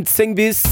10 bis.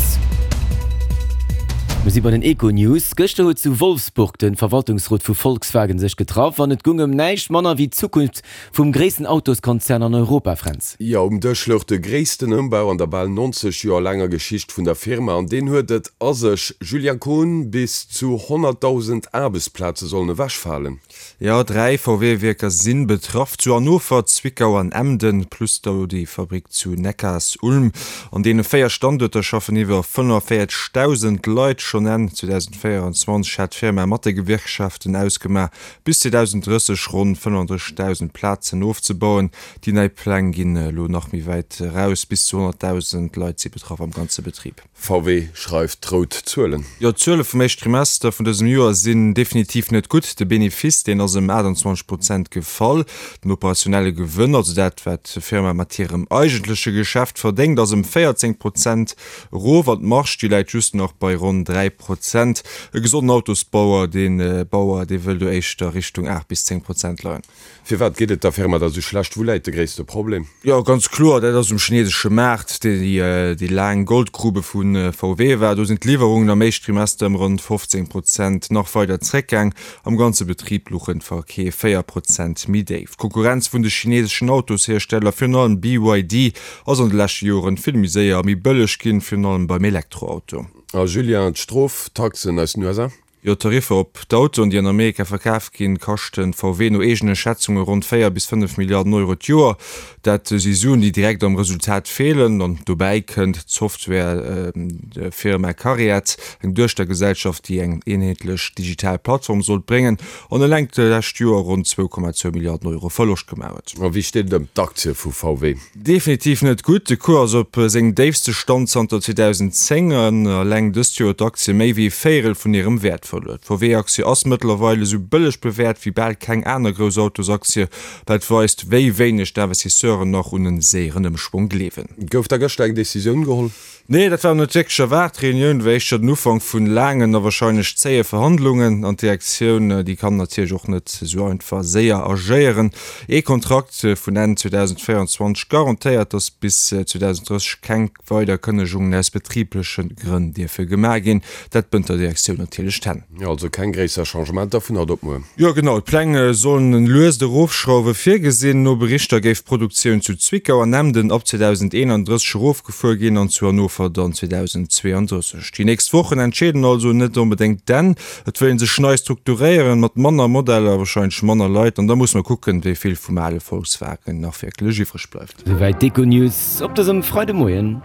Mir si bei den Econews. Gëschter huet zu Wolfsburg de Verwaltungsrot vu Volkswagen sech getraff an et gung ëm näischt manner wéi d'Zukunft vum gréissten Autoskonzern an Europa, Fränz. Jo, um Dësch louch de gréissten Ëmbau an der bal 90 Joer laanger Geschicht vun der Firma an deen huet et a sech. Julien Kohn, Bis zu 100.000 Aarbechtsplaze sollen ewechfalen. Jo, 3 VW-Wierker si betraff, zu Hannover, Zwickau an Emden, plus d'Audi-Fabrick zu Neckarsulm. An deene 4 Standuerter schaffen iwwer 45.000 Leit. Schonn Enn 2024 hat d'Firma mat de Gewerkschaften ausgemaach, bis 2030 ronn 35.000 Plazen ofzebauen. Déi nei Pläng ginn elo nach méi wäit eraus, bis zu 100.000 Leit si betraff am ganze Betrib. VW schreift rout Zuelen. Jo, d'Zuele vum éischten Trimester vun dësem Joer sinn definitiv net gutt. De Benefice, deen ass ëm 28 Prozent gefall. Den operationelle Gewënn, also dat wat d'Firma mat hirem eigentleche Geschäft verdéngt, ass ëm 14 Prozent erof an d'Marge, déi läit just nach bei ronn 3 Prozent. E gesonden Autosbauer, dee Bauer, dee wëll do éischter Richtung 8 bis 10 Prozent leien. Firwat geet et der Firma da sou schlecht? Wou läit de gréisste Problem? Jo, ganz kloer, dat ass um chinesesche Maart, déi déi laang Goldgrube vu VW war. Do sinn d'Liwwerungen am éischt Trimester ëm ronn 15 Prozent nach weider zréckgaang. Am ganze Betrib luchen d'Verkeef 4 Prozent méi déif. D'Konkurrenz vun de chineseschen Autoshiersteller, virun allem BYD, ass an de leschte Joren vill méi séier a méi bëlleg ginn, virun allem beim Elektroauto. A Julien, d'Stroftaxen aus den USA? Jo, d'Tariffer op d'Autoen, déi an Amerika verkaf ginn, kaschten VW no eegene Schätzunge ronn 4 bis 5 Milliarden Euro d'Joer. Dat si Suen, déi direkt am Resultat feelen. An dobäi kënnt d'Software-Firma Cariad, eng Duechtergesellschaft, déi eng eenheetlech digital Plattform sollt bréngen an eleng d'lescht Joer ronn 2,2 Milliarden Euro Verloscht gemaach huet. A wéi steet et ëm d'Aktie vu VW? Definitiv net gutt. De Cours ass op sengem déifste Stand zanter 2010 an eleng dëst Joer huet d'Aktie méi wéi e Véierel vun hirem Wäert verluer. D'VW-Aktie ass mëttlerweil esou bëlleg bewäert wéi bal keng aner grouss Autosaktie, wat weist, wéi wéineg d'Investisseuren nach un e séieren Ëmschwong gleewen. Gouf da gëschter eng Decisioun geholl? Nee, dat war net wierklech erwaart. D'Reunioun war éischter den Ufank vun laangen a warscheinlech zéie Verhandlungen. An d'Direktioun, déi kann natierlech och net esou einfach séier agéieren. Ee Kontrakt vun Enn 2024 garantéiert, datt bis 2030 keng weider Kënnegungen aus betribleche Grënn dierfe gemaach ginn. Dat bënnt der Direktioun natierlech d'Hänn. Jo, also keng gréisser Changementer vun haut op muer. Jo genau, d'Pläng sollen en luest Erofschrauwe virgesinn. No Berichter géif d'Produktioun zu Zwickau an Emden ab 2031 erofgefuer ginn an zu Hannover dann 2032. Déi nächst Wochen entscheeden also net onbedéngt d'Enn. Et wëll een sech nei strukturéieren, mat manner Modeller, warscheinlech manner Leit an da muss mer kucken, wéi vill vum ale Volkswagen nach wierklech iwwreg bleift. Souwäit d'Econews op dësem Freidemoien.